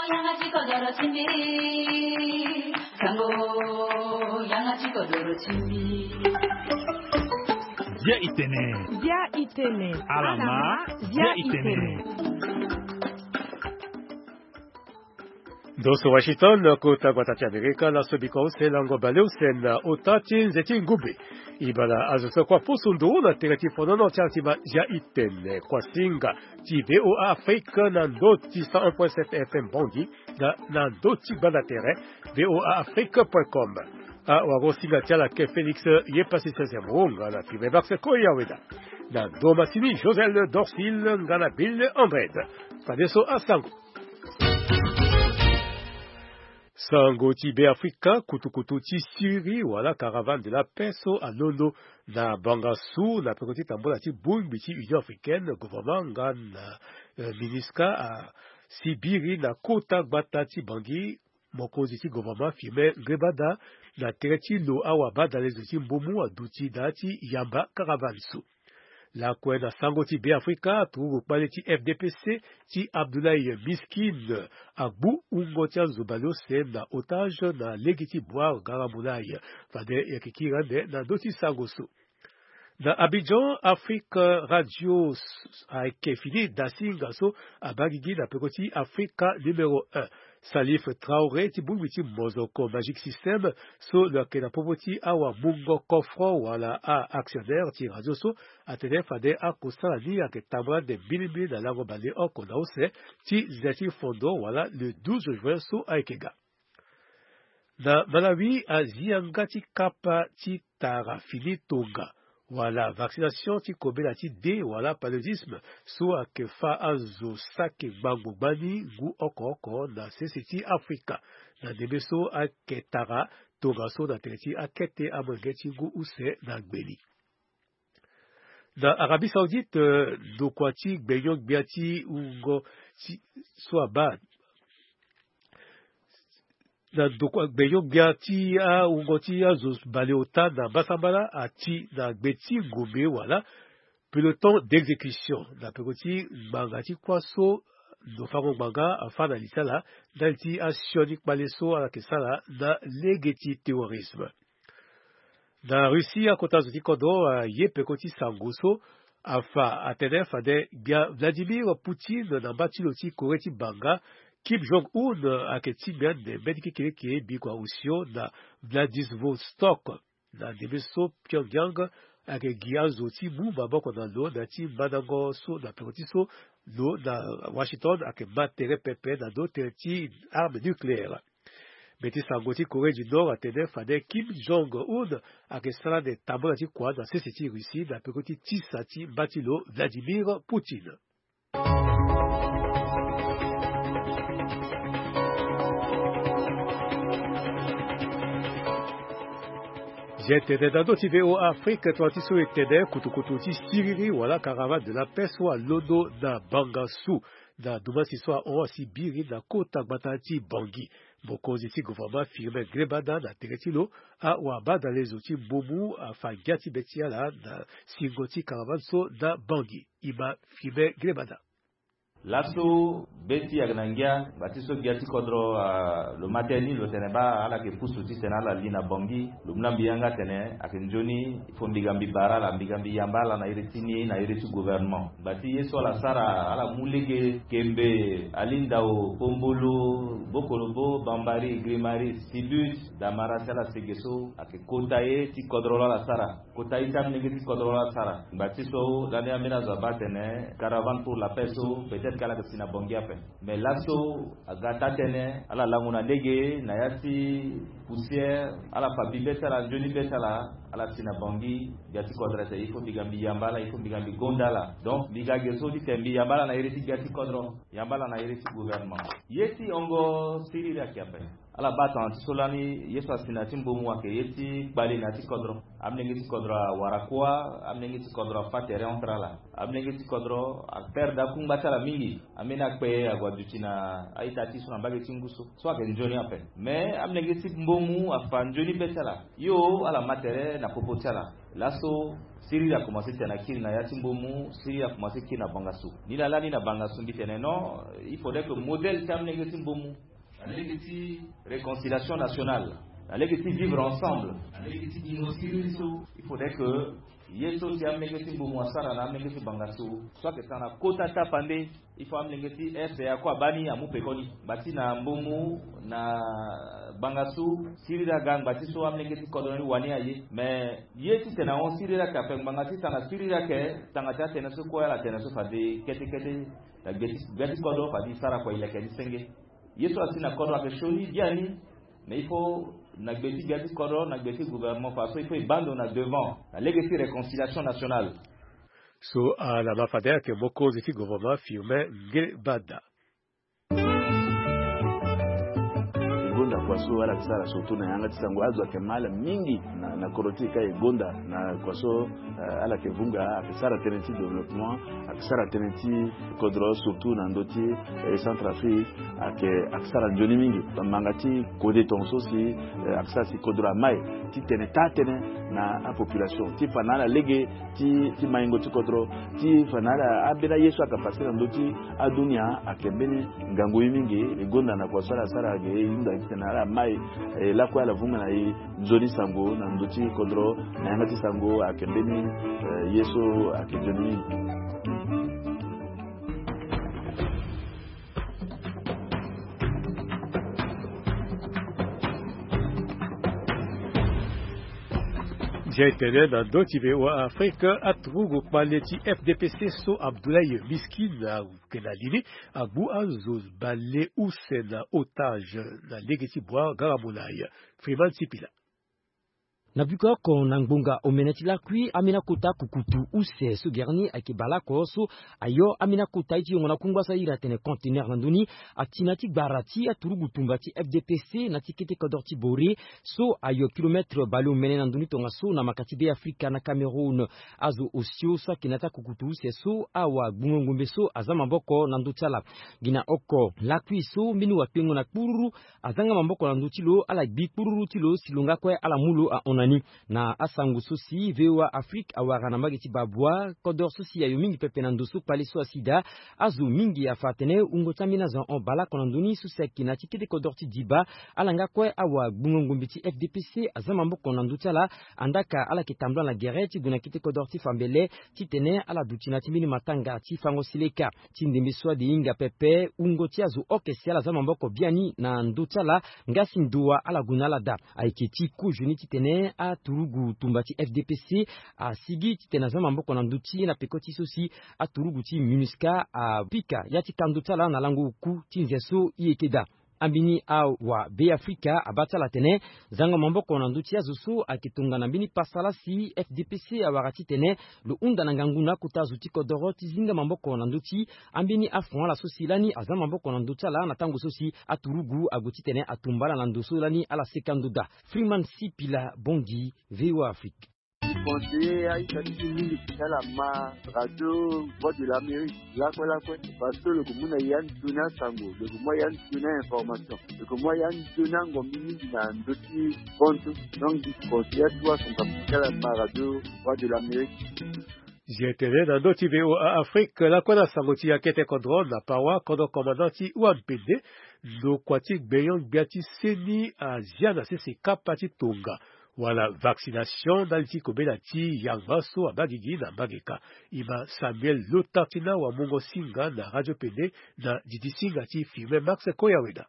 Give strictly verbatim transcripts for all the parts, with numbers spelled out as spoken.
Yanga ti kodoro ti mbi. Sango, yanga ti kodoro ti mbi. Bia itene. Bia itene. Alama, bia itene. Ndo so Washington, kota gbata ti Amerika, laso biko use lango baleuse na ota ti nze ti ngumbe. Ibala azo so kua poso ndo na tere ti fonono ti ala ti ma Bia itene, kua singa ti V O A Afrique na ndo ti cent un point sept F M Bangui, na, na ndo ti gbanda tere V O A Afrique point com. Awagosinga ti ala ke Félix ye pasi sese mo nga na filme Max Koya Weda. Na ndo masini Josel Dorsil nga na Bill Andred. Fadeso asango. Sango ti Be Afrika, kutukutu ti siriri wala caravane de la paix so alondo na Bangassou na peko ti tambula ti bongbi ti Union Africaine, gouvernement nga na, euh, MINUSCA, asi biri na kota gbata ti Bangui. Mokonzi ti gouvernement Firmin Ngrébada na tere ti lo awabadalezo ti mbumu aduti daa ti yamba caravane so. Lakue na sango ti Be Afrika, turugu kpale ti F D P C ti Abdoulaye Miskine agbu wungo ti azo baleuse na otage na lege ti Bouar Garamoulaye. Fade e yeke kiri ande na ndö ti sango so. Na Abidjan, Afrique Radio s-, ayeke fini dasinga so abaa gigi na peko ti Afrika numéro un. Salif Traoré ti bongbi ti mozoko Magic Système so lo yeke na popo ti awamungo kofro wala a-actionnaire ti radio so atene fade akosala ni ayeke tambula ande mbirimbiri na lango baleoko na use ti nze ti fondo wala le douze juin so ayeke ga. Na Malawi, azi yanga ti kapa ti tara fini tonga wala vaccination ti kobela ti dé wala paludisme so ayeke fâ azo saki ngbangbo gbani ngu oko oko na sese ti Afrika. Na ndembe so ayeke tara tongaso na tere ti akete amolenge ti ngu use na gbeni. Na Arabie Saoudite, euh, ndokua ti gbenyo-gbia ti wungo ti so abaa na ndokua gbenyo-gbia ti awungo ti azo baleota na mbasambala ati na gbe ti ngombe wala peloton d'exécution na peko ti ngbanga ti kuâ so ndofango ngbanga afâ na li ti ala ndali ti asioni kpale so ala yeke sara na lege ti terrorisme. Na Russie, akota zo ti kodro aye peko ti sango so afa atene fade gbia Vladimir Poutine na mba ti lo ti Corée ti banga Kim Jong-un ayeke tingbi ande mbeni kekereke bikua osio na Vladivostok. Na ndembe so Pyongyang ayeke gi azo ti mu maboko na lo na ya ti mandango so na peko ti so lo na Washington ayeke ma tere pepe na ndo tere ti arme nucléaire. Mbi ti sango ti Corée du Nord atene fade Kim Jong-un ayeke sara ande tambula ti kua na sese ti Russie na peko ti tisa ti mba ti lo Vladimir Poutine. Zia tene na ndö ti V O A Afrique, tongana ti so e tene kutukutu ti siriri wala caravane de la paix so alondo na Bangassou. Na dumasi so ahon asi biri na kota gbata ti Bangui. Mokonzi ti gouvernement Firmin Ngrébada na tere ti lo awabadalezo ti mbumu afa ngia ti be ti ala na singo ti caravane so na Bangui. E ma Firmin Ngrébada. Laso be ti ayeke na ngia, ngba ti so gbia ti kodro, ah, lo ma tënë ni, lo tene baa ala yeke pusu titene ala li na Bangui. Lo mu na mbi yanga atene ayeke nzoni il faut mbi ga mbi bara ala, mbi ga mbi yamba ala na iri ti ni, na iri ti gouvernement. Ngba ti ye so ala sara, ala mu lege kembe, ali ndao, pombolo, bokolobo, bambari, grimari, sibut, damara, si ala sege so ayeke kota ye ti kodro lo ala sara. Kota ye ti amolenge ti kodro lo ala sara. Ngba ti so lani ambeni azo abaa atene caravane pour la paix so peut-être ke ala yeke si na Bangui ape. Mais laso aga taa-tënë, ala lango na lege na ya ti poussière, ala fa bi be ti ala, nzoni be ti ala, ala si na Bangui. Gbia ti kodro atene il faut mbi ga mbi yamba ala, il faut mbi ga mbi gonda ala. Donc mbi ga ge so titene mbi yamba ala na iri ti gbia ti kodro, yamba ala na iri ti gouvernement. Ye ti hongo siriri ayeke ape. Ala baa tongana ti so lani ye so asi na ya ti mbomu ayeke ye ti kpale na ya ti kodro. Amolenge ti kodro awara kuâ. Amolenge ti kodro afâ tere entre ala. Amolenge ti kodro aperdre akungba ti ala mingi. Ambeni akpe ague aduti na a-ita ti e so na mbage ti ngu so. So ayeke nzoni ape. Mais amolenge ti mbomu afa nzoni be ti ala. Yo ala ma tere na popo ti ala. Laso siriri akomanse tene akiri na ya ti mbomu, siriri akomanse kiri na bangasu. Ni laa lani na bangasu mbi tene non, il faudrait que modèle ti amolenge ti mbomu, na lege ti réconciliation nationale, na lege ti vivre ensemble, na lege ti dingo siriri so, il faudrait que ye so si amolenge ti mbomu asara na amolenge ti bangasu so ayeke tara na kota tapande. Il faut amolenge ti RCA kue abaa ni amu pekoni ngba ti na mbomu na bangasu siriri aga ngba ti so amolenge ti kodro ni wani aye. Mais ye ti tene ahon siriri ayeke ape ngbanga ti tanga siriri ayeke tanga ti atënë so kue ala tene so fade kete kete. Na gbe ti gbe ti kodro fade e sara kua e leke ni senge. Ye so asi na kodro ayeke sioni biani. Mais il faut na gbe ti gbia ti kodro na gbe ti gouvernement fa so il faut e baa ndo na devant na lege ti réconciliation nationale. So ala ma fade ayeke mokonzi ti gouvernement Firmin Ngebada. E gonda kua so ala yeke sara surtout na yanga ti sango azo ayeke ma ala mingi na, na kodro ti e ka e gonda na kua so, eh, ala yeke vunga ayeke sara tënë ti développement, ayeke sara tënë ti kodro surtout na ndö ti, eh, Centrafrique. Ayeke, ayeke sara nzoni mingi. Bamanga ti kode tongaso si, eh, ayeke sara si kodro amai ti tene taa tënë na apopulation ti fa na ala lege ti, ti maingo ti kodro, ti fa na ala ambeni aye so ayeke pase na ndö ti adunia ayeke mbeni ngangu ye mingi. E gonda na kua so ala sara ayeke e hunda ti tene ala mai, eh, lakue ala vunga na e nzoni sango na ndö ti kodro na yanga ti sango ayeke mbeni, eh, ye so ayeke nzoni mingi. Ndia etene na ndö ti V O A Afrique, aturugu kpale ti F D P C so Abdoulaye Miskin ayeke na li ni agbu azo bale use na otage na lege ti bua gara molai. Freeman Sipila. Na biko oko na ngbonga omene ti lakui, ambeni akota kukutu use so gere ni ayeke bale oko so ayo ambeni akota ye ti yongo na kungba so ahiri atene conteneur na ndö ni, ati na ya ti gbara ti aturugu tumba ti F D P C na ya ti kete kodro ti Bore so ayo kilomètre baleomene na ndö ni tongaso na maka ti Be Afrika na Cameroun. Azo osio so ayeke na ya ti akukutu use so awagbungo ngombe so aza maboko na ndö ti ala. Gi na oko lakui so mbeni wakpengo na kpururu aza nga maboko na ndö ti lo, ala gbi kpururu ti lo si lo nga kue ala mu lo ahon na ni. Na asango so si V O A Afrique awara na mbage ti Babwa, kodro so si ayo mingi pepe na ndo so kpale so asi daa, azo mingi afa atene wungo ti ambeni azo ahon baleoko na ndö ni so si ayeke na ya ti kete kodro ti Diba. Ala nga kue awagbungo ngombe ti F D P C aza maboko na ndö ti ala. Andaa ka ala yeke tambula na gere ti gue na kete kodro ti Fambele titene ala duti na ya ti mbeni matanga ti fango seleka. Ti ndembe so ade hinga pepe, wungo ti azo oke si ala za maboko biani na ndö ti ala, nga si ndo wa ala gue na ala daa. Ayeke ti kozoni titene aturugu tumba ti F D P C asigi titene aza maboko na ndö ti ye na peko ti so si aturugu ti MINUSCA apika ya ti kando ti ala na lango oku ti nze so e yeke daa. Ambeni awa Be Afrika abaa ti ala atene zango maboko na ndö ti azo so ayeke tongana mbeni pasa laa si F D P C awara titene lo hunda na ngangu na akota zo ti kodoro ti zinga maboko na ndö ti ambeni afon ala so si lani aza maboko na ndö ti ala na tango so si aturugu ague titene atumba ala na ndo so lani ala seka ndo daa. Freeman Sipila Bongi, V O A Afrique. Ti conseiller aita ti ti mingi ti ala ma radio Voix de l'Amérique lakue lakue, parce que lo yeke mu na ya nzoni asango, lo yeke mu ya nzoni a-information, lo yeke mu ya nzoni angombi mingi na ndö ti kontu. Donc mbi conseiller atuwa asango ti ala ma radio Voix de l'Amérique. Zia tene na ndö ti V O A Afrique lakue na sango ti akete kodro na Pawa, kodro commandant ti Wampende, ndokua ti gbenyo-gbia ti seni azia na sese kapa ti tonga wala vaccination ndali ti kobela ti yanga so abaa gigi na mbage ka. E ma Samuel Lotartina wa mungo singa na radio pene na didi singa ti Firmin Max Koyaweda.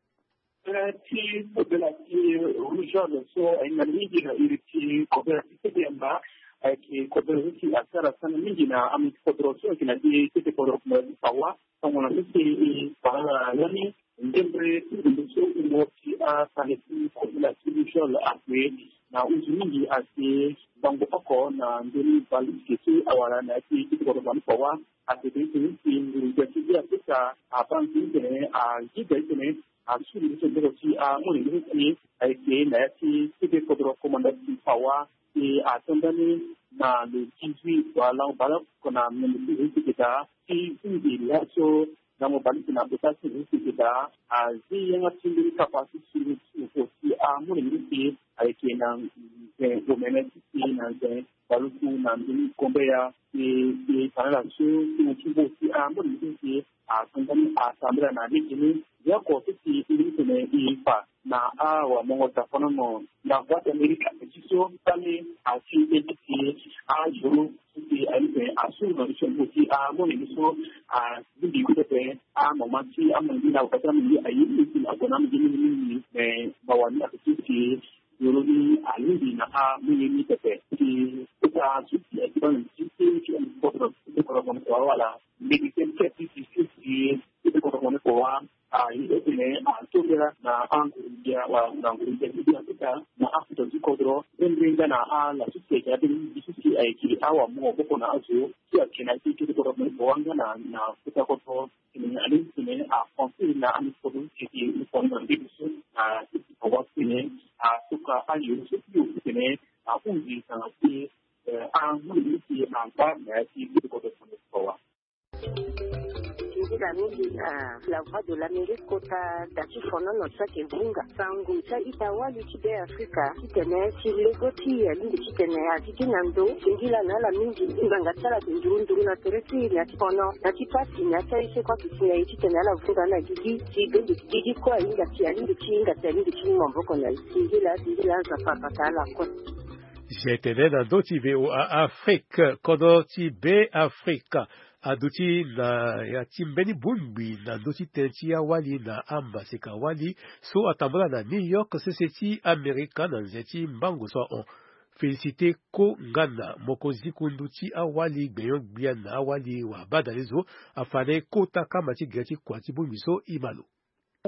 Tënë ti kobela ti rougeole so ahinga mingi na iri ti kobela ti kete yamba ayeke kobela so si asara sana mingi na ame ti kodro so ayeke na ti kete kodro ti Pawa. Tongana so si e fa lani ndembe ti ndo so e mo ti atanga ti kobela ti rougeole ague na uzu mingi ayeke bango oko na ndoni bale ti ke so awara na ya ti kete kodro ti Pawa. Atene titene si nguru gbia ti Be Afrika abaa titene agida titene asuru ndö so maboko ti amolenge so si ayeke na ya ti kete kodro komanda ti Pawa. E atambula ni na le dix-huit wala baleoko na mene ti Russie keta ti hunzi laso. Ngangu baleuse na kota ti Russie keta azi yanga ti mbeni kapa ti suru ti moko ti amolenge so si ayeke na nze omene ti si na nze Baluku na mbeni Gombeya. E, e tana laso ti mo ti mbo si amolenge so si atongani atambula na lege ni. Ya oko so si e tene e fa na awamongo tafonono na Voix d'Amérique ape ti so kpale ati e ti si ayoro so si aye tene asuru na lisongo ti amolenge so alingbi kue pepe amama ti amolenge na waka ti amolenge aye ni si na oko na amolenge mingi mingi. Me mawa ni ape ti si Yoro ni alingbi na amolenge ni pepe. Ti kota so si ayeke baa na nzi ti ti ti kodro ti kodro moni kowa wala mbeni ti ti ti ti ti ti kodro moni kowa. Aye tene atongela na anguru ndia wala na nguru ndia ti Afrika na afuta ti kodro. Mbeni nga na ala so si ayeke abeni so si ayeke awamongo maboko na azo ti ayeke na ti ti ti kodro moni kowa nga na na kota kodro. Tene alingbi tene aconseil na ami kodro ti tene i fani na mbeni so na ti ti kodro tene atoka ayo so ti yo tene ahunzi tanga ti anguru ti angba na ya ti ti kodro tene kowa. Nzila mingi na La Voix de l'Amérique kota da ti fonono ti ayeke vunga sango ti a-ita wali ti Be Afrika titene ti lego ti e alingbi titene azi ti na ndo singila na ala mingi. Ngbanga ti ala ayeke nduru nduru na tere ti e na ti fono na ti pasi na ya ti aye so kue ake si na e titene ala vunga na gigi ti bende gigi kue ahinga ti alingbi ti hinga ti alingbi ti mu maboko na e. Singila singila Nzapa abata ala kue. Zia tene na ndö ti V O A Afrique, kodro ti Be Afrika aduti na ya ti mbeni bongbi na ndö ti tënë ti awali na amaseka wali so atambula na New York sese ti Amerika na nze ti mbango so ahon. Félicité Ko Ngana, mokonzi kundu ti awali gbenyo-gbia na awali wabadale zo, afa na e kota kama ti gere ti kua ti bongbi so e ma lo.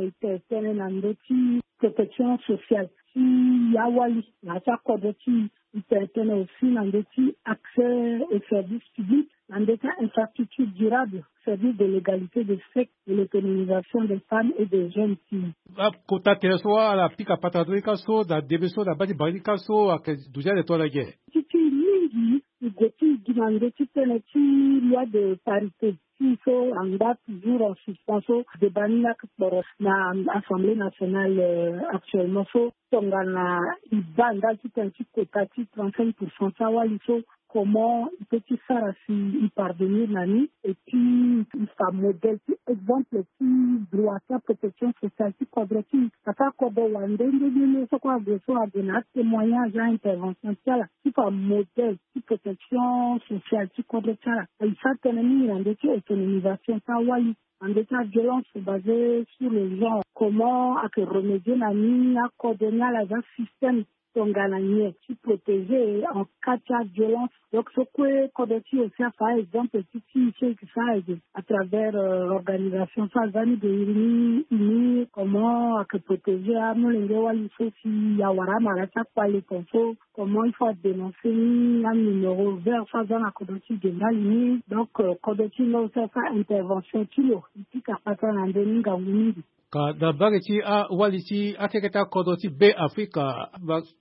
E tene tënë na ndö ti protection sociale ti awali na ya ti akodro ti e. E tene tënë aussi na ndö ti accès au service public, na ndö ti infrastructure durable, service de l'égalité des sexes et l'autonomisation des femmes et des jeunes filles. Akota tënë so ala pika patara ndö ni ka so na ndembe so na baa ti banga ni ka so ayeke duti ande tongana ge. Ti ti mingi e gue ti e gi na ndö ti tënë ti loi de parité ti so angba toujours en suspens so débat ni laa kporo na Assemblée nationale actuellement so tongana e baa ndali ti tënë ti quota ti trente-cinq pour cent ti awali so comment e peut ti sara si e parvenir na ni et puis e fa modèle ti exemple ti droit ti aprotection sociale ti kodro ti e. Afa kodro wande nde nde nde so kue ague so ague na atémoignage a-intervention ti ala ti fa modèle ti protection sociale ti kodro ti ala. E sara tënë mingi na ndö ti autonomisation ti awali na ndö ti aviolence basée sur le genre, comment ayeke remédier na ni akodro ni ala za système tongana nyen ti protéger en cas ti aviolence. Donc so kue kodro ti e aussi afa exemple ti ti so e yeke sara ege à travers organisation so aza ni de iri ni uni comment ayeke protéger amolenge wali so si awara amara ti akpale ton so comment il faut adénoncer ni anuméro vert so aza na kodro ti e ge ndali ni. Donc kodro ti e nga aussi asara intervention ti lo e pika patara na ndö ni ngangu mingi. Ka na mbage ti awali ti akeke ti akodro ti Be Afrika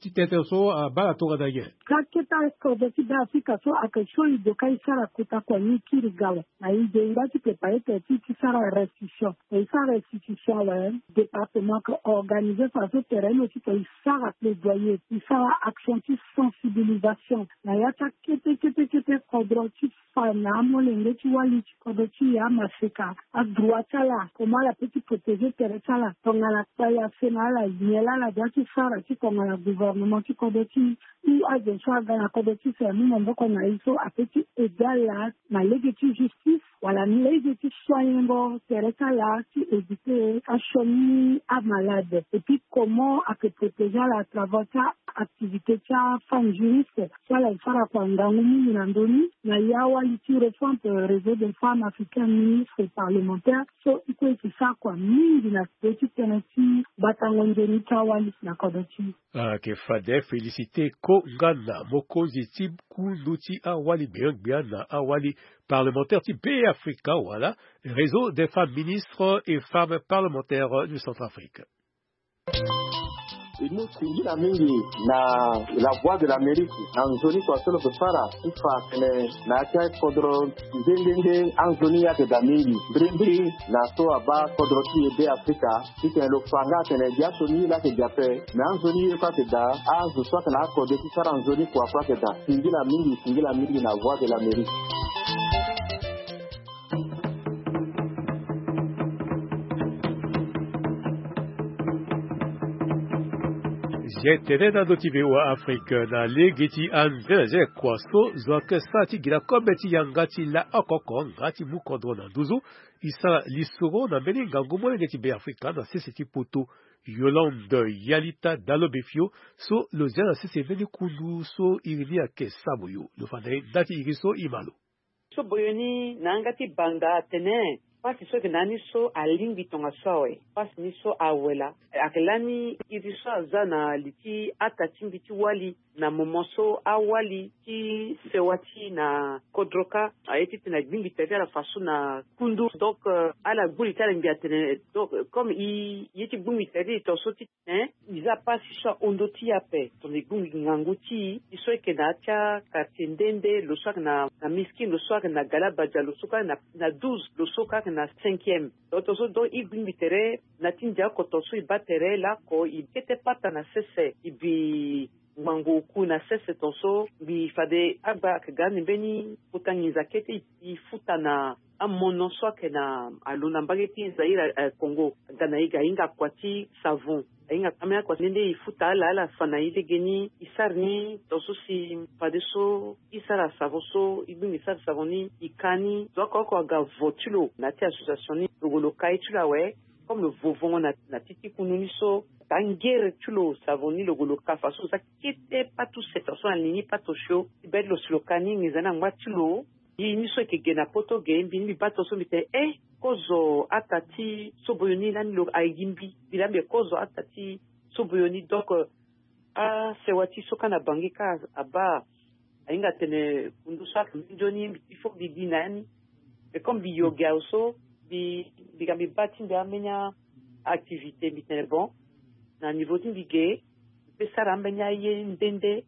ti tënë so abaa na tongana nyen? Ka kete akodro ti Be Afrika so ayeke so e doka e sara kota kua ni e kiri ga awe. Na e ge e ngba ti prépare tene ti e ti sara restitution. E sara restitution awe département ayeke organiser faso tere ni aussi tene e sara plaidoyer e sara action ti sensibilisation na ya ti akete kete kete kodro ti fa na amolenge ti wali ti kodro ti e amaseka adroit ti ala comment ala peut ti protéger tere ti ala tongana kpale afe na ala nyen laa ala doit ti sara ti tongana gouvernement ti kodro ti e ou azo so aga na kodro ti e si amu maboko na e so apeut ti aider ala na lege ti justice wala lege ti soignengo tere ti ala ti éviter asioni amalade et puis comment ayeke protéger ala à travers ti activité ti afemme juriste so ala e sara kua ngangu mingi na ndö ni na ya wali ti récente réseau des femmes africaines ministres et parlementaires so i kue e sara kua mingi na ndö ti tënë ti batango nzoni ti awali na kodro ti. Ayeke fade félicité ko nga na mokonzi ti kundu ti awali gbia gbia na awali parlementaire ti Beafrika wala réseau des femmes ministres et femmes parlementaires du Centrafrique. E mu singila mingi na La Voix de l'Amérique na nzoni kua so lo ke fara ti fa tene na ya ti akodro nde nde nde anzoni ayeke daa mingi mbirimbiri na so abaa kodro ti e Beafrika. Titene lo fa nga atene gi aso ni ye laa ayeke gi ape me anzoni ye kue ayeke daa azo so ayeke na akode ti sara nzoni kua kue ayeke daa. Singila mingi, singila mingi na Voix de l'Amérique. Zia tene na ndö ti V O A Afrique na lege ti anzenze kua so zo ayeke sara ti gi na kobe ti yanga ti la oko oko nga ti mu kodro na nduzu. E sara lisoro na mbeni ngangu molenge ti Beafrika na sese ti poto, Yolande Yalita Dalobefio, so lo zia na sese mbeni kundu so iri ni ayeke Saboyo. Lo fa na e nda ti iri so e ma lo. So boyo ni na yanga ti banga atene pasi so ayeke na ya ni so alingbi tongaso awe. Pasi ni so awe laa ayeke lani iri so aza na li ti ata ti mbi ti wali na moment so awali ti sewa ti na kodro kâ aye titene agbingbi tere ti ala faso na kundu. Donc, euh, ala gbu li ti ala ngbi atene donc, euh, comme i ye ti gbingbi tere ti e tongaso ti Hein? I za pasi so ahon ndö ti e ape tongana e gbingbi ngangu ti e. E so ayeke na ya ti akartier nde nde, lo so ayeke na, na Miskin, lo so ayeke na Galabadia, lo so kue ayeke na, na douze, lo so kue ayeke na cinquième. Donc tongaso donc e gbingbi tere na ya ti ndia oko tongaso e baa tere laoko e kete pata na sese e bi ngbangbo oku na sese tongaso mbi fade agba ayeke ga ni mbeni kota nginza kete e futa na amono so ayeke na alo na mbage ti Zaïre, eh, Congo. Aga na e ga ahinga kua ti savon. Ahinga ambeni akua ti nde nde e futa ala, ala fa na e legeni e sara ni tongaso si fadeso e sara savon so e gbingbi sara savon ni e ka ni. Zo oko oko aga vo ti lo na ya ti association ni lo gue lo ka ye ti lo awe. Comme lo vo vongo na, na ti ti kundu ni so taa ngere ti lo savon ni lo gue lo ka faso lo za kete patu seta so na li ni patu osio ti be ti lo si lo ka ni nginza ni angba ti lo. Ye ni so e yeke ge na poto ge mbi ni mbi baa tongaso mbi tene eh kozo ata ti soboyo ni lani lo aye gi mbi. Mbi laa mbi kozo ata ti soboyo ni donc, euh, asewa ti so kâ na Bangui kâ abaa. Ahinga atene kundu so ayeke minzoni mbi il faut mbi gi na ya ni. Mais comme mbi yo ge awe so mbi, mbi ga mbi baa ti mbi ambeni a-activité mbi tene bon, na niveau ti mbi ge mbi pe sara ambeni aye nde nde.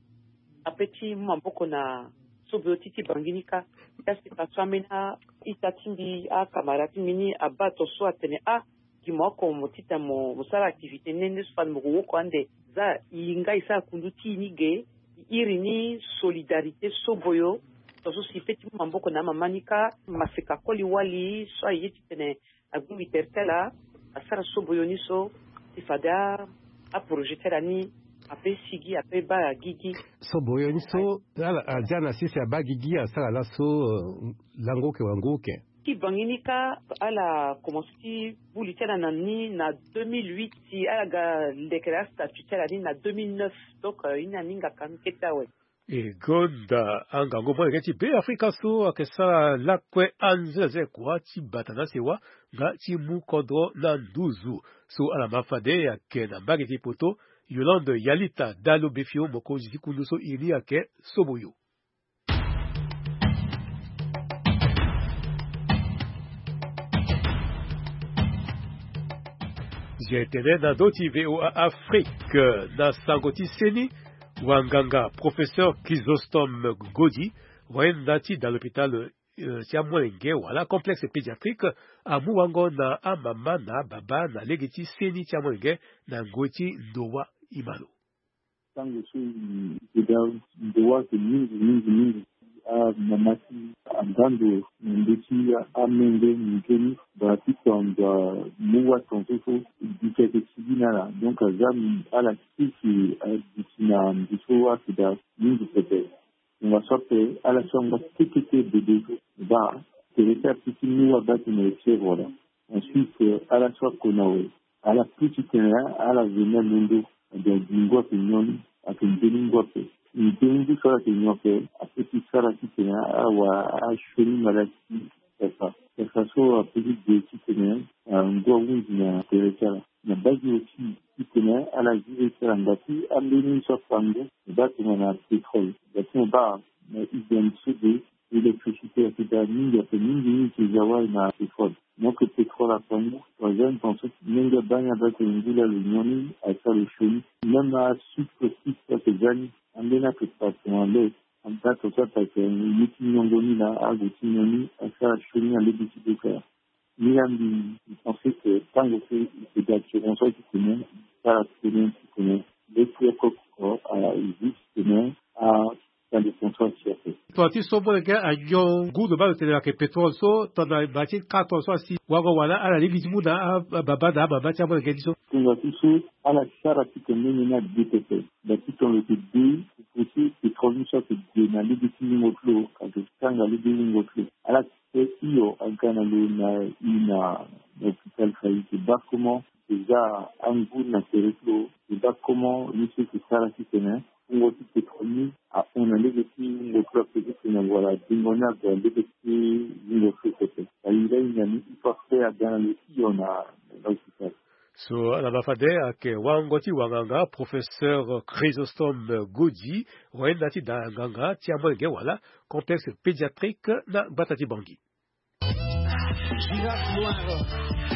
Ape ti mu maboko na soboyo ti ti Bangui ni kâ. Kasi faso ambeni a-ita ti mbi, akamara ti mbi ni abaa tongaso atene ah gi mo oko mo titene mo, mo sara activité nde nde so fade mo ko woko ande. Za e nga e sara kundu ti e ni ge. E iri ni solidarité soboyo. Tongaso si e pe ti mu maboko na amama ni kâ. Maseka koli wali so aye titene agbingbi tere ti ala asara soboyo ni so ti fade a, aprojet ti ala ni ape sigi ape baa gigi. Soboyo ni so ala azia na sese abaa gigi asara laso, euh, lango oke wango oke. Ti Bangui ni kâ ala komanse ti bu li ti ala na ni na deux mille huit, si ala ga lekere astatut ti ala ni na deux mille neuf. Donc, euh, e ni aninga ka ni kete awe. E gonda angangu molenge ti Beafrika so ayeke sara lakue anzenze kua ti bata na sewa nga ti mu kodro na nduzu. So ala ma fade ayeke na mbage ti poto, Yolande Yalita Dalobefio, mokonzi ti kundu so iri ni ayeke Soboyo. Zia tene na ndö ti V O A Afrique, na sango ti seni, wanganga professeur Chrysostome Godi, wayenda ti da l'hôpital, euh, ti amolenge wala complexe pédiatrique, amu wango na amama na ababa na lege ti seni ti amolenge na ngoi ti ndo wa. E ma lo. Tango so e, e da ndo wa ayeke mingi mingi mingi. Amama ti anda ndo na ndö ti amenge mingi ni, baa ti tonga mu wa tongaso so e duti ayeke sigi na ala. Donc aza ala si si aduti na ndo so ayeke da mingi pepe. Tongaso ape ala so angba kekete bebe so baa tere ti ape ti mu wa baa tene e fièvre wala. Ensuite ala so akona awe ala pu titene ala ve ni alondo. Donc bingo ayeke nyon ni, ayeke nzoni ngu ape. Nzoni ngu so ala yeke nyon ape, apeut ti sara titene awa asioni maladi ti sasa. Sasa so apeut ti gue titene ngu ahunzi na tere ti ala. Na baa gi aussi titene ala zi le ti ala ngba ti ambeni so apango, mo baa tongana pétrole, ngba ti mo baa na hygiène so de électricité, ayeke daa mingi, ayeke mingi mingi ti za wali na pétrole. Donc pétrole apango, troisième temps so menge abaa ni abaa tene ngu laa lo nyon ni, asara lo sioni. Même asucre aussi ayeke za ni, ambeni ayeke passe na le, anda tongaso apasse ye ti nyongo ni laa, ague ti nyon ni, asara sioni na lege ti doka. Ni laa mbi, mbi pense que tango so e ga assurance so titene e sara titene titene le ti oko oko, a, e zi titene a, tande conscience ti ape. Tongana ti so molenge anyon ngu lo baa lo tene ayeke pétrole so, tongana baa ti quatre ans so asi wango wala ala lingbi ti mu na a, ababa na amama ti amolenge ni so. Tongana ti so ala sara titene mbeni ni ade pepe. Baa ti tongana lo yeke de, lo pote pétrole ni so ayeke gue na lege ti wungo ti lo, ayeke kanga lege ti wungo ti lo. Ala Pe hio aga na lo na i na, na hôpital fa i yeke baa comment déjà angu na tere ti lo, i yeke baa comment ye so i yeke sara titene wungo ti pétrole ni ahon na lege ti wungo ti lo ape titene wala dingo ni ague na lege ti wungo ti lo pepe. Aye lahinga ni i fa pe aga na lo hio na, na hôpital. So ala ma fade ayeke wango ti wanganga professeur Chrysostome Godi, wayenda ti da nganga ti amolenge wala complexe pédiatrique na gbata ti Bangui. Girafe noire.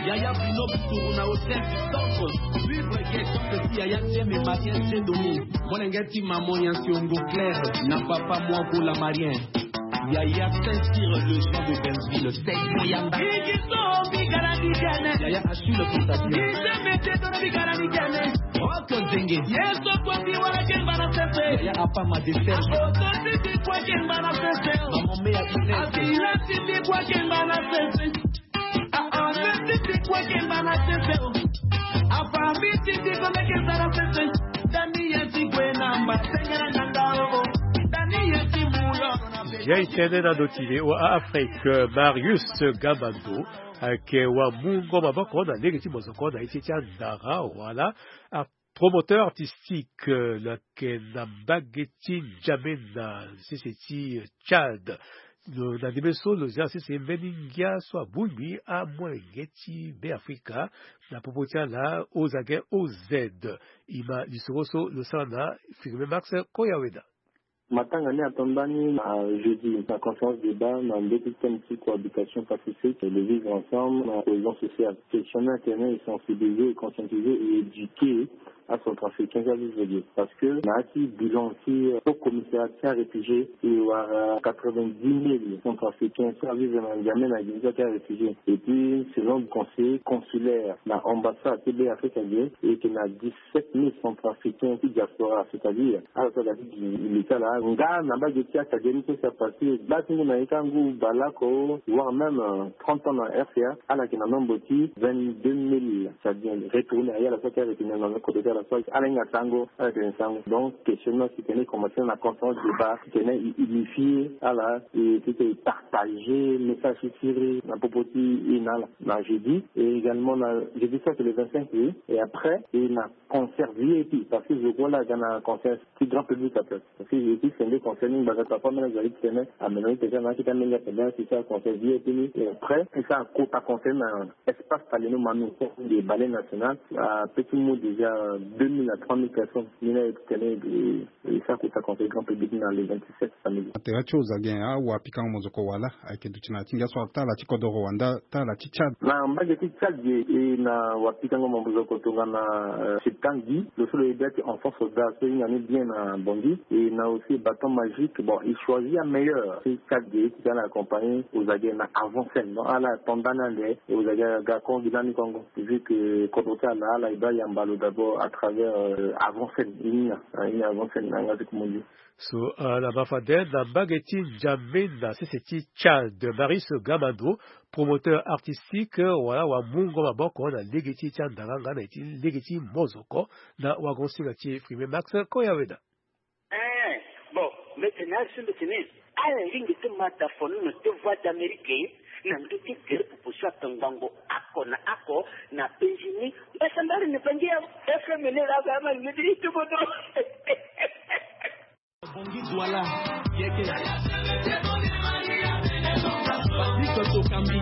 Yaya Bruno Boutourou na hôtel du Temple. Suivre question que si Yaya Dieu me marien Dieu donné. Molenge ti maman ya siongo clair na papa moi pour la marien. Yaya Saint-Cyr, le Jean de Benzville, Saint-Cyr Yamba. Yaya Achille Constantine. Rock Zenge. Yaya Apa Madesel. Maman Mea Inès. Ya e tene na ndo ti le wa Afrique, Marius Gamando, ayeke wamungo maboko na lege ti mozoko na ye ti e ti andara wala promoteur artistique, lo yeke na mbage ti N'Djamena, sese ti Tchad. Lo na ndembe so lo zia sese mbeni ngia so abongbi amolenge ti Beafrika na popo ti ala O Z A G O Z. E ma lisoro so lo sara na Firmin Max Koyaweda. Matanga ni ato ndani na jeudi na conférence débat na ndö ti thème ti cohabitation pacifique, le vivre ensemble, na cohésion sociale. Question ni atene e sensibiliser, e conscientiser, e éduquer acentrafricain ti avive ge parce que na ya ti bilan ti haut commissariat ti aréfugié e wara quatre-vingt-dix mille centrafricain ti avive na N'Djamena gi ti aréfugié. Et puis selon conseiller consulaire na ambassade ti Beafrika ge, e yeke na dix-sept mille centrafricain ti diaspora, c'est-à-dire ala so aga ti gi li ti ala nga na mbage ti asadia ni so si apassé gba ti ngu na ye ti angu baleoko, voire même trente ans na R C A, ala yeke na nombre ti vingt-deux mille, c'est-à-dire retourner aye ala so ayeke retourner na kodro ti ala so ala hinga sango, ala yeke na sango. Donc question ni si tene e commencer na conférence débat, si tene e unifier ala, e ti tene e partager message ti siriri na popo ti e na ala na jeudi. Et également na jeudi so ayeke le vingt-cinq, oui. Et après e na concert V I P parce que je crois la aga na concert ti grand public ape. Parce que je suis sende concert ni ngbanga so afa mena zali ti tene ameno ni tene na akita menge ape, bien si sa concert V I P ni. Et après e sa kota concert na espace Taleno Manu, de Ballet National, ape ti mu déjà deux mille à trois mille personnes. Ni na e ti tene e sa kota concert grand public na le vingt-sept samedi. Atera ti oza gen awapikango mozoko wala ayeke duti na ti ngia so atala ti kodoro wanda tala ti Tchad. Na mbage ti Tchad ge e na wapikango mozoko tongana, euh, Septan Guy, lo so lo ye bia ti enfant soldat so e hinga ni bien na Bangui, e na aussi Bâton Magique. Bon, e choisi ameilleur ti Tchad ge e ti tene accompagner oza ge na avant scène. Donc ala ato ndani ande e oza ge aga kongo gi lani kongo. Vu que kodro ti ala ala e bia yamba lo d'abord à travers, euh, avant scène. E hinga, e hinga avant scène na yanga ti komo ndio. So, euh, na ma fade na mbage ti N'Djamena sese ti Tchad, Marius Gamando, promoteur artistique wala wamungo maboko na lege ti e ti andara nga na e ti lege ti mozoko na wagonsinga ti e Firmin Max Koyaweda. Eh, bon, mbi tene asi mbi tene ala lingbi ti ma da fono na ti Voix d'Amérique na ndö ti gere popo so atongbango oko na oko na penzi ni. Mbasambari ni Bangui ya F M ni laa ba ama lingbi ti ti kodro. Patrick Tokambi.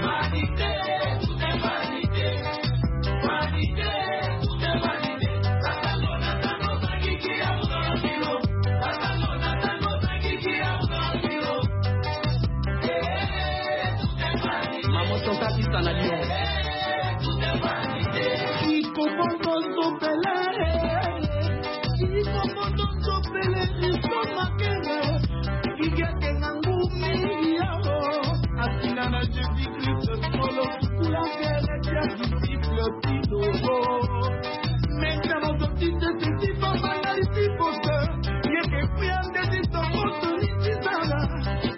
Maman Chantal Issa na Lyon. Ikobondo sopele, ikobondo sopele, isomakele, igete na ngumi yao. Asina na Jésus-Christ solo, kula kele tia disciple tino. Meta na sotite seti papa na lisipote, yeke kuya ndeti sokoto ni titala.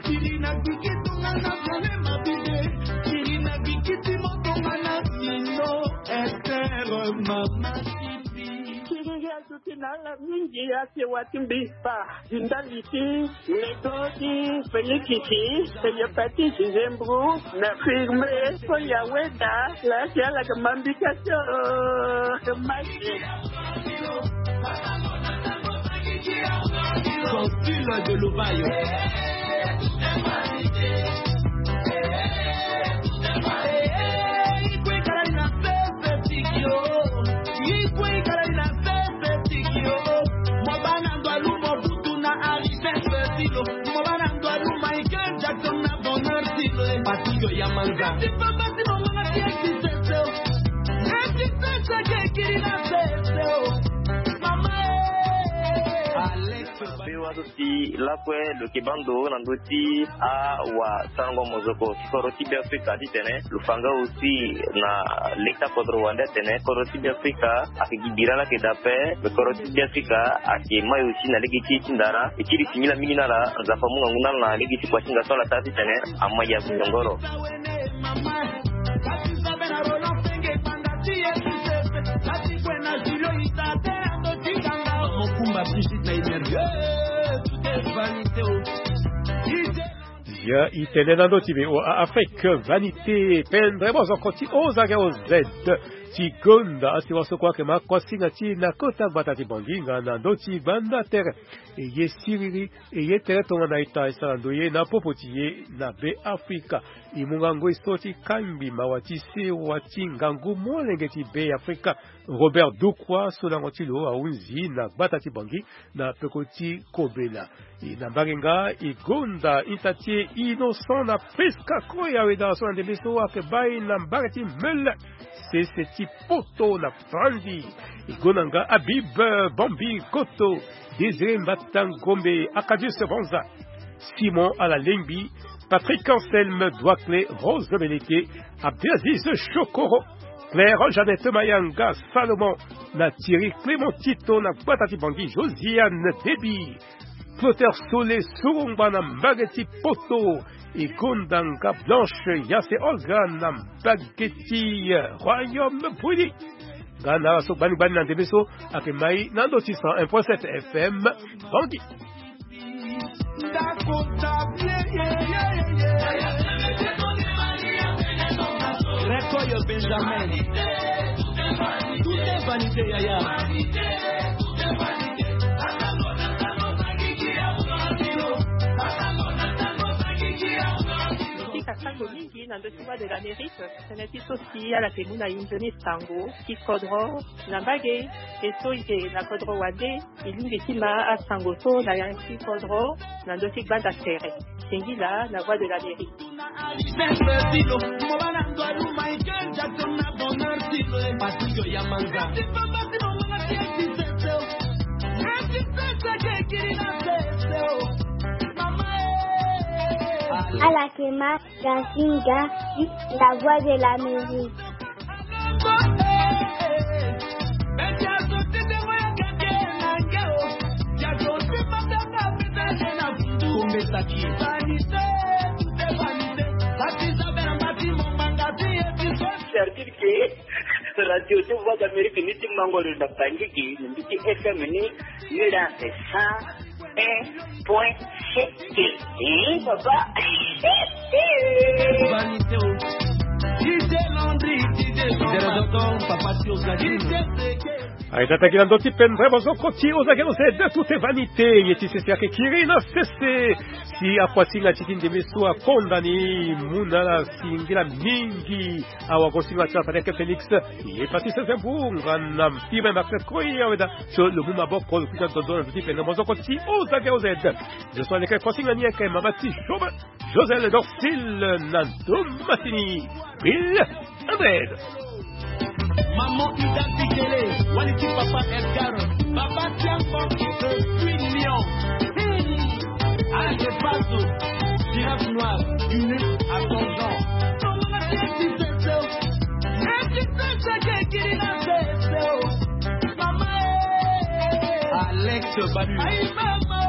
Kiri na gbiki tunga na zale mabide, kiri na gbiki timo tunga na mino. Esther mama Siti. Kiri ya suti na ala mingi ya se wati mbi pa. Zinda liti, Ledo ti Felix ti, Seigneur Pati ti Zembru, na firme, ko ya weda, la ti ala ke mambika ti, euh, ke masi. Consul de Lovayo. Be wa so si lakue lo yeke baa ndo na ndö ti awasango mozoko ti kodro ti Beafrika titene lo fa nga aussi na leta kodro wande atene kodro ti Beafrika ayeke gi bira laa ayeke daa ape. Me kodro ti Beafrika ayeke mai aussi na lege ti e ti ndara. E kiri singila mingi na ala, Nzapa amu ngangu na ala na lege ti kua ti hinga so ala taa titene amai ya gungoro. Ya e tene na ndö ti V O A Afrique Vanité, pendre mozoko ti O Z O Z. Ti gonda asi waso kue ayeke ma kuasinga ti e na kota gbata ti Bangui nga na ndö ti gbanda tere. E ye siriri, e ye tere tongana ita e sara ndoye na popo ti e na Beafrika. E mu ngangu e so ti kangbi mawa ti sewa ti ngangu molenge ti Beafrika, Robert Dukwa, so lango ti lo ahunzi na gbata ti Bangui na peko ti kobela. E na mbage nga e gonda ita ti e Innocent na Prisca Koya weda so na ndembe so ayeke baa e na mbage ti Meulan, sese ti Poto na Franzi. E gonda nga Habib Bambi Koto, Désiré Mbata Ngombe, Acadius Banza, Simon Alalengbi, Patrick Anselme Douaclé, Rose Beleke, Abdelaziz Chokoro, Claire Jeannette Mayanga, Salomon na Thierry Clément Tito na gbata ti Bangui, Josiane Debi, Clotaire Sole Surungba na mbage ti Poto, e gonda nga Blanche Yase Olga na mbage ti Royaume Bouilly. Nga na ala so gbani gbani na ndembe so ayeke mai na ndö ti cent un point sept F M Bangui. Rekoyo Benjamin. Tout est vanité, yaya. Tika sango mingi na ndö ti Voix de l'Amérique. Tënë ti so si ala yeke mu na e nzoni sango ti kodro na mbage. E so e yeke na kodro wande, e lingbi ti ma asango so na ya ti kodro na ndö ti gbanda tere. Singila na Voix de l'Amérique. Ala yeke ma Gazinga, la Voix de l'Amérique. Servir ke radio ti Voix d'Amérique ni ti mango lo na Bangui gi, na mbi ti F M ni, ni la cent un point sept. Eh, papa. Vanité, oh. D J Landry, D J Landry, papa Tio Gadino. Aye, tata gi na ndö ti pendere maboko ti Ozage Ozed, tout est vanité. Ye ti sese ayeke kiri na sese. Si akuasinga ti ti ndembe so akonda ni mu na ala singila mingi. Awagosinga ti ala fade ayeke Félix. Ye Patrice Zembu nga na Steven Max Koy awe daa. So lo mu maboko lo kuta dodo na ndö ti pendere maboko ti Ozage Ozed. Zo so aleke kuasinga ni ayeke mama ti Job José Dorcil na Domatini. Bill Andred. Maman Ida Tikele, wali ti papa Edgar, papa Tiango, le huit lions. Hmm. Ah, je passe. Girafe noire, unique à ton genre. Maman, eh, tu sais ce que Kirina fait, oh. Maman, eh. Alex Balu. Aïe, maman.